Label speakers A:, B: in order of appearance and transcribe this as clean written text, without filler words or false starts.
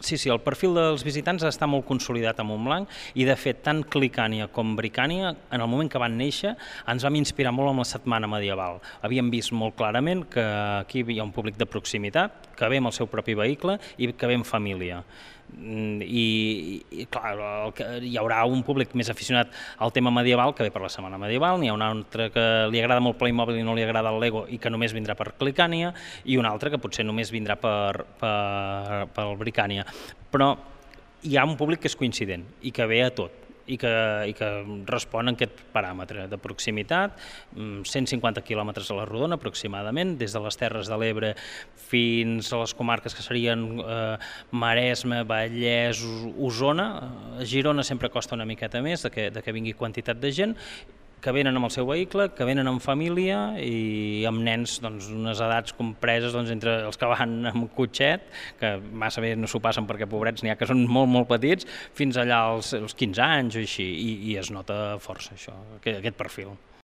A: Sí, sí, el perfil dels visitants està molt consolidat a Montblanc i, de fet, tant Clicània com Bricània, en el moment que van néixer, ens vam inspirar molt amb la setmana medieval. Havíem vist molt clarament que aquí hi ha un públic de proximitat, que ve amb el seu propi vehicle i que ve en família. I clar, hi haurà un públic més aficionat al tema medieval que ve per la setmana medieval, n'hi ha un altre que li agrada molt Playmobil i no li agrada el Lego i que només vindrà per Clicània, i un altre que potser només vindrà per Bricània. Però hi ha un públic que és coincident i que ve a tot i que respon a aquest paràmetre de proximitat, 150 quilòmetres a la rodona aproximadament, des de les Terres de l'Ebre fins a les comarques que serien Maresme, Vallès, Osona. A Girona sempre costa una miqueta més de que vingui quantitat de gent, que venen amb el seu vehicle, que venen amb família i amb nens d'unes edats compreses entre els que van amb cotxet, que massa bé no s'ho passen perquè pobrets n'hi ha que són molt, molt petits, fins allà als 15 anys o així, i es nota força això, aquest perfil.